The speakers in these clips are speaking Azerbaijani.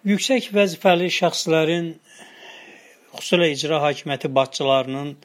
Yüksək vəzifəli şəxslərin, xüsusilə icra hakimiyyəti başçılarının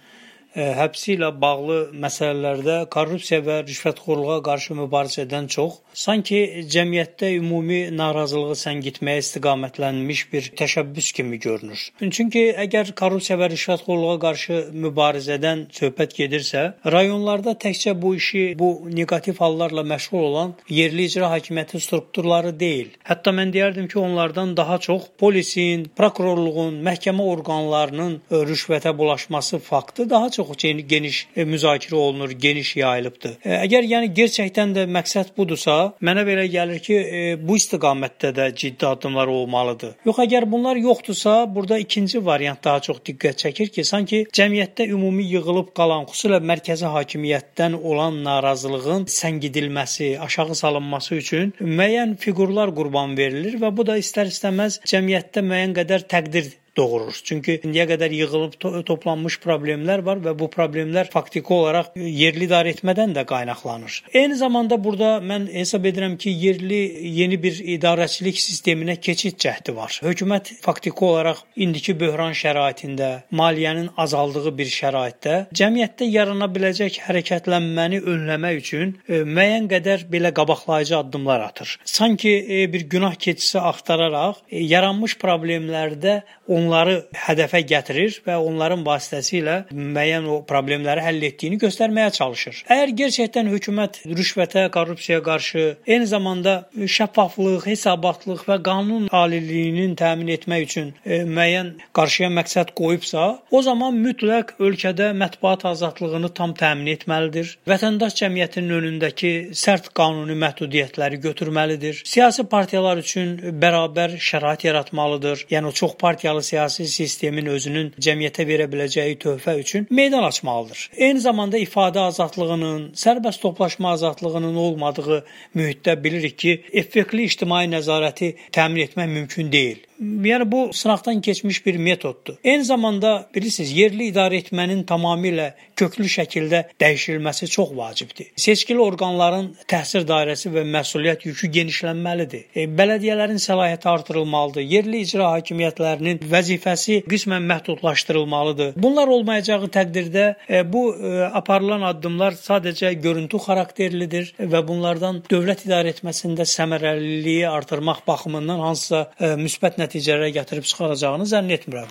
həbsi ilə bağlı məsələlərdə korrupsiya və rüşvətxorluğa qarşı mübarizədən çox, sanki cəmiyyətdə ümumi narazılığı səngitməyə istiqamətlənmiş bir təşəbbüs kimi görünür. Çünki əgər korrupsiya və rüşvətxorluğa qarşı mübarizədən söhbət gedirsə, rayonlarda təkcə bu işi, bu neqativ hallarla məşğul olan yerli icra hakimiyyəti strukturları deyil. Hətta mən deyərdim ki, onlardan daha çox polisin, prokurorluğun, məhkəmə orqanlarının rüşvətə bulaşması faktı daha çox geniş müzakirə olunur, geniş yayılıbdır. Əgər gerçəkdən də məqsəd budursa, mənə belə gəlir ki, bu istiqamətdə də ciddi addımlar olmalıdır. Yox, əgər bunlar yoxdursa, burada ikinci variant daha çox diqqət çəkir ki, sanki cəmiyyətdə ümumi yığılıb qalan, xüsusilə mərkəzi hakimiyyətdən olan narazılığın səngidilməsi, aşağı salınması üçün müəyyən fiqurlar qurban verilir və bu da istər-istəməz cəmiyyətdə müəyyən qədər təqdir doğurur. Çünki indiyə qədər yığılıb toplanmış problemlər var və bu problemlər faktiki olaraq yerli idarə etmədən də qaynaqlanır. Eyni zamanda burada mən hesab edirəm ki, yeni bir idarəçilik sisteminə keçid cəhdi var. Hökumət faktiki olaraq indiki böhran şəraitində, maliyyənin azaldığı bir şəraitdə cəmiyyətdə yarana biləcək hərəkətlənməni önləmək üçün müəyyən qədər belə qabaqlayıcı addımlar atır. Sanki bir günah keçisi axtararaq yaranmış problemlərdə onları hədəfə gətirir və onların vasitəsilə müəyyən o problemləri həll etdiyini göstərməyə çalışır. Əgər gerçəkdən hökumət rüşvətə, korrupsiyaya qarşı, eyni zamanda şəffaflıq, hesabatlıq və qanun aliliyinin təmin etmək üçün müəyyən qarşıya məqsəd qoyubsa, o zaman mütləq ölkədə mətbuat azadlığını tam təmin etməlidir. Vətəndaş cəmiyyətinin önündəki sərt qanuni məhdudiyyətləri götürməlidir. Siyasi partiyalar üçün bərabər şərait yaratmalıdır. Yəni o çox partiyalı siyasi sistemin özünün cəmiyyətə verə biləcəyi töhfə üçün meydan açmalıdır. Eyni zamanda ifadə azadlığının, sərbəst toplaşma azadlığının olmadığı mühitdə bilirik ki, effektli ictimai nəzarəti təmin etmək mümkün deyil. Yəni bu sınaqdan keçmiş bir metoddur. Eyni zamanda bilirsiniz, yerli idarə etmənin tamamilə köklü şəkildə dəyişilməsi çox vacibdir. Seçkili orqanların təsir dairəsi və məsuliyyət yükü genişlənməlidir. Bələdiyyələrin səlahiyyəti artırılmalıdır. Yerli icra hakimiyyətlərinin vəzifəsi qismən məhdudlaşdırılmalıdır. Bunlar olmayacağı təqdirdə bu aparılan addımlar sadəcə görüntü xarakterlidir və bunlardan dövlət idarə etməsində səmərəliliyi artırmaq baxımından hansısa müsbət nəticələrə gətirib çıxaracağını zənn etmirəm.